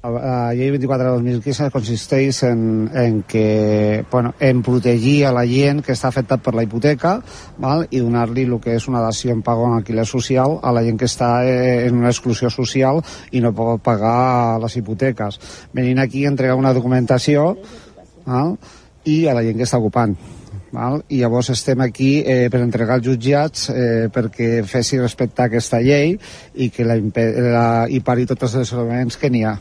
La llei 24 de 2015 consisteix en que, en protegir a la gent que està afectat per la hipoteca, val? I donar-li el que és una dació en pago en alquiler social a la gent que està en una exclusió social i no pot pagar les hipoteques. Venint aquí a entregar una documentació, val? I a la gent que està ocupant. Val? I llavors estem aquí per entregar als jutjats perquè fessi respectar aquesta llei i que i pari tots els elements que n'hi ha.